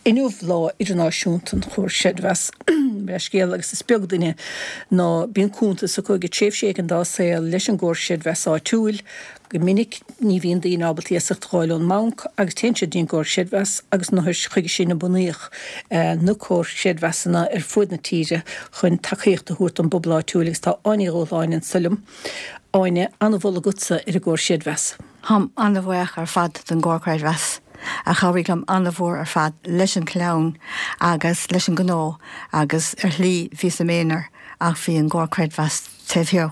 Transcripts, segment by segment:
Inniu Lá Idirnáisiúnta an Chomhar Creidmheasa leithscéal agus is beag duine ná bíonn cuntas acu ag tréimhse éigin dá saol leis an gcomhar creidmheasa áitiúil. Go minic ní bhíonn daoine ábalta iasacht a dh'fháil ón mbanc agus téann siad dtí an gcomhar creidmheasa agus is chuige sin a bunaíodh na comhair chreidmheasanna ar fuaid na tíre chun tacaíocht a thabhairt don bpobal áitiúil agus tá Áine Uí Dhubhshláine anso liom. Áine, an-mholadh agatsa ar an gcomhar creidmheasa. Táim an-bhuíoch ar fad don gcomhar creidmheasa a chabhraigh liom an-mhór ar fad leis an chlann agus leis an ngnó agus ar shlí bhíos i m'aonar ach bhí an gcomhar creidmheasa taobh thiar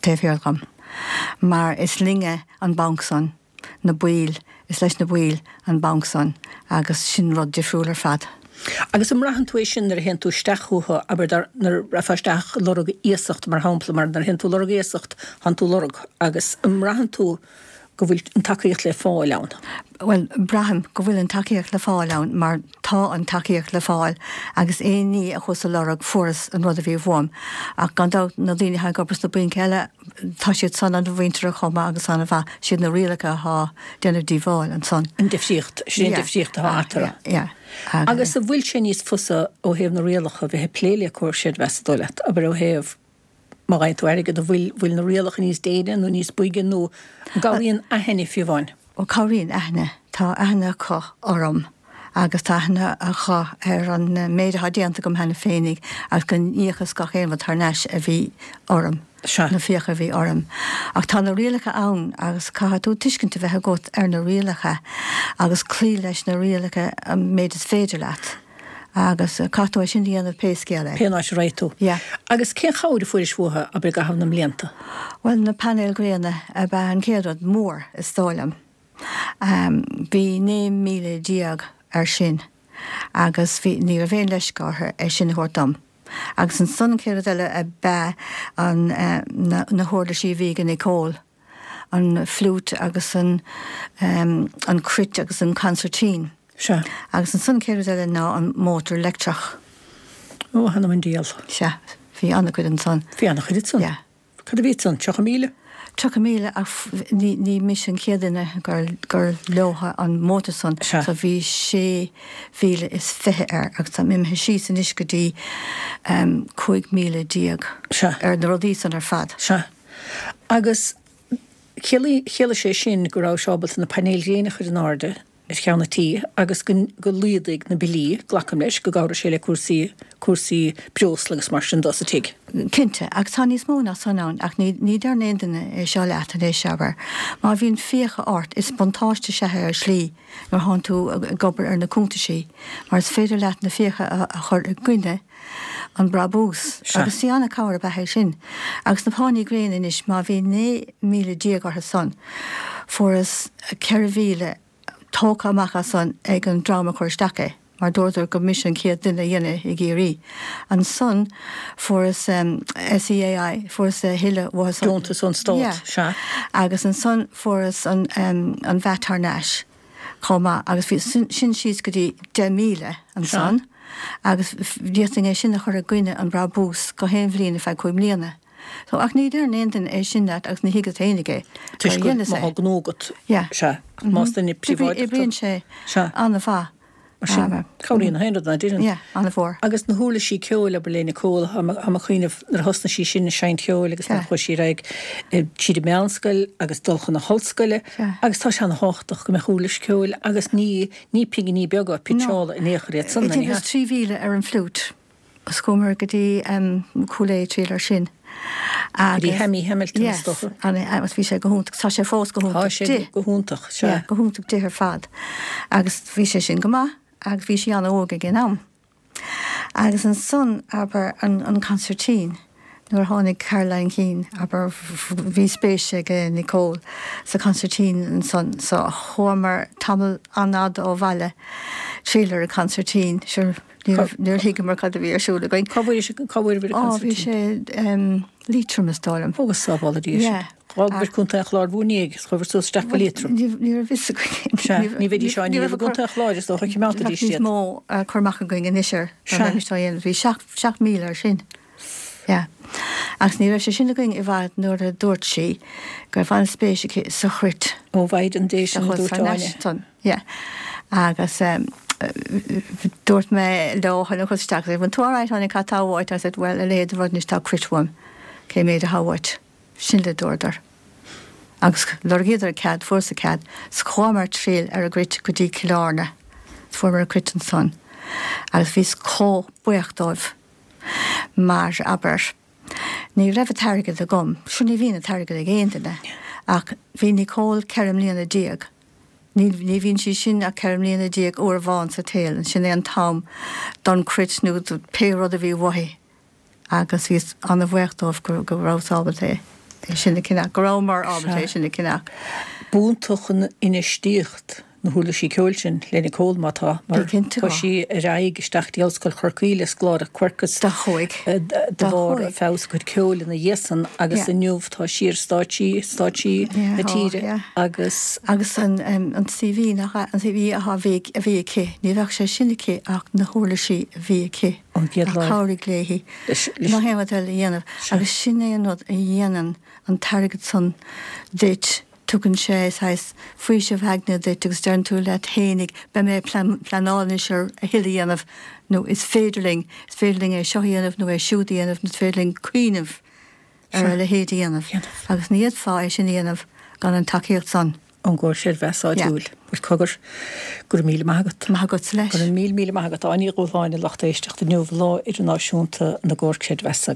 taobh thiar dhom mar is linne an banc san, na baill, is leis na baill an banc san agus sin rud difriúil ar fad. Agus an mbraitheann tú é sin nuair a théann tú isteach chucu, abair dar, nuair a rachfá isteach ag lorg iasacht mar shampla, mar nuair a théann tú ag lorg iasacht, tánn tú ag lorg agus an mbraitheann tú go bhfuil an tacaíocht le fáil ann? Bhuel, braithim go bhfuil an tacaíocht le fáil ann mar tá an tacaíocht le fáil agus aon ní a chuas a lorg fuaireas an rud a bhí uaim. Ach gan dabht na daoine atá ag obair sna bainc eile tá siad san an-mhuinteartha chomh maith agus an-mhaith, siad na rialacha atá déanamh díobháil ansan. An difríocht, sin an difríocht atá eatarthu. Yeah, yeah. Agus an bhfuil sé níos fusa ó thaobh na rialacha bheith ag plé le comhar creidmheasa dóigh leat, abair ó thaobh Má fhaigheann tú airgead, an bhfuil, bhfuil na rialacha níos déine nó níos boige nó an gcabhraíonn aithne fiú amháin? Ó cabhraíonn aithne. Tá aithne acu orm agus tá aithne acu ar an méid atá déanta agam cheana féinig agus go n-íocas gach aon rud thar n-ais a bhí orm, na fiacha a bhí orm. Ach tá na rialacha ann agus caithfidh tú tuiscint a bheith agat ar na rialacha agus cloí leis na rialacha an méid is féidir leat. Agus caithfidh tú é sin a dhéanamh pé scéal é. Pé áit a raghaidh tú. Yeah. Agus cén chabhair a fuairis uathu, abair, i gcaitheamh na mblianta? Bhuel, na painéil ghréine ab ea an chéad rud mór, is dóigh liom. Bhí 19,000 air sin agus bhí, ní raibh aon leisce orthu é sin a thabhairt dom. Agus ansan an chéad rud eile ab ea an, na, na huirlisí a bhí ag Nicole. an fliúit agus an an cruit agus an consairtín. Sea. Agus ansan an chéad rud eile ná an mótar leictreach. Ó, th'anam 'on diabhal. Sea. Bhí an-chuid ansan. Bhí an-chuid ansan. Yeah. Cad a bhí ansan? 30,000? 30,000 ach ní ní mise an chéad duine gur gur leo an mótar san. Sea. So bhí 26,000 air agus táim imithe síos anois go dtí 15,000 Sea. ar na rudaí san ar fad. Sea. Agus chiallaigh sé sin go rabhais ábalta na painéil ghréine a chur in airde ar cheann an tí agus go go laghdaigh na billí, glacaim leis, go gcabhraigh sé le cúrsaí cúrsaí breosla agus mar sin dó sa tigh. Cinnte, agus tá níos mó ná san ann ach ní ní deireann aon duine é seo leat anois, abair. Má bhíonn fiacha ort, is buntáiste is ea é ar shlí nuair thánn tú ag obair ar na cuntaisí mar is féidir leat na fiacha a chur i gcoinne an brabús agus sí an-cabhair ab ea é sin. Agus na pánaí gréine anois, má bhí 19,000 orthu san, fuaireas 4,000 tógtha amach as san ag an dream a chuir isteach é, mar dúradar gur mise an chéad duine a dhein é i gCiarraí. Ansan fuaireas SEAI, fuaireas a thuilleadh uathu san. Deontas ón Stát, sea. Agus ansan fuaireas an an VAT thar n-ais. chomh maith agus bhí sin síos go dtí 10,000 ansan agus d'fhéadfainn é sin a chur i gcoinne an brabús gach aon bhliain ar feadh 5 mbliana. So, ach ní deireann aon duine é sin leat agus ní thuigeann féinig é. Toisc go má tá gnó agat. Yeah. Sea. Ach más duine príobháideach tú. Oibríonn sé an-mhaith. Mar sin, cabhraíonn aon rud ná deireann. Yeah, an-mhór. Agus na huirlisí ceoil, abair le Nicole, tá mé ag cuimhneamh nuair a thosnaigh sí sin ag seinnt cheoil agus nuair a chuaigh sí ar aghaidh tríd an meánscoil agus dul chun na hollscoile agus tá sé ana-thábhachtach go mbeadh uirlis ceoil agus ní ní pinginí beaga pitseála in aon chor iad san, ní hea? 3,000 ar an fliúit. Agus chuamar go dtí Cúil Aodha ag triall air sin. Go dtí Hammy Hamilton is dócha. Yes, agus bhí sé go hiontach, tá sé fós go hiontach di. Tá sé go hiontach, sea. Yeah, go hiontach di ar fad. Agus bhí sé sin go maith agus bhí sí an-óg ag an am. Agus ansan, abair, an consairtín, nuair a tháinig Caroline Keane, abair, bhí spéis ag Nicole sa chonsairtín ansan so chuamar tamall an-fhada ó bhaile triall ar an chonsairtín, sure. Níor thuigeamar cad a bhí ar siúl againn. Cá bhfuair sé, cá bhfuair an consairtín? Ó, bhí sé Liatroim is dóigh liom. Ó, go sábhála Dia sinn. Yeah. D'fhágabhair Contae an Chláir bhúr ndiaidh is chuabhair suas isteach go Liatroim. Ní raibh fhios againn. Sea, ní bheidís á ndíol i gContae an Chláir is dócha, choimeádfaidís iad. Níos mó cur amach againn anois air. Sea. Dá mbeimis á dhéanamh. Bhí 7,000 air sin. Yeah. Agus ní raibh sé sin againn i bhfad nuair a dúirt sí go raibh an-spéis aici sa chruit. Ó Mhaighdean Dé sin a dúirt Áine. Yeah. Agus. Dúirt mé leo tháinig isteach agus bhfuil tú alright Áine cad tá uait? I said well a leithéid de rud anois tá cruit uaim cé méid atá uait? Sin le dúradar. Agus lorgaíodar cead, fuaireas cead, 's chuamar triall ar an gcruit go dtí Cill Airne. 's fuaireamar an cruit ansan. Agus bhíos chomh buíoch dóibh mar, abair, ní raibh an t-airgead agam, sure ní bhíonn an t-airgead ag aon duine, ach bhí Nicole 14 mbliana. Ní, ní bhíonn sí sin ach 14 mbliana uair amháin sa tsaol, sin é an t-am don chruit nó do pé rud a bhí uaithi. Agus bhíos ana-bhuíoch dóibh go, go rabhas ábalta é sin a cheannach, go rabhamar ábalta é sin a cheannach. B'iontach an infheistíocht na huirlisí ceoil sin le Nicole, má tá, mar chuaigh sí ar aghaidh isteach dtí Ollscoil Chorcaí le scoláireacht Quercus Do chuaigh. de bharr feabhas a cuid ceoil ina dhiaidh san agus inniu tá sí ar stáitsí, stáitsí na tíre agus. Agus an CV nach ea, an CV a bhí a bhí aici, ní bheadh sé sin aici ach na huirlisí a bhí aici Ón gcéad a lá. chabhraigh léi ná haon rud eile a dhéanamh agus sin é an rud a dhéanann an t-airgead san duit. Tugann sé saghas faoiseamh aigne duit agus deireann tú leat fhéinig, beidh mé ag pleanáil anois ar a thuilleadh a dhéanamh nó is féidir linn, is féidir linn é seo a dhéanamh nó é siúd a dhéanamh nó is féidir linn cuimhneamh ar a leithéid a dhéanamh. Agus ní fhéadfá é sin a dhéanamh gan an tacaíocht san. ón gcomhar creidmheasa áitiúil. Bhuel, cogar, go raibh míle maith agat. Maith agatsa leis. Go raibh míle míle maith agat. Áine Ní Dhúshláine, lucht éisteachta inniu, Lá Idirnáisiúnta na gComhar Creidmheasa.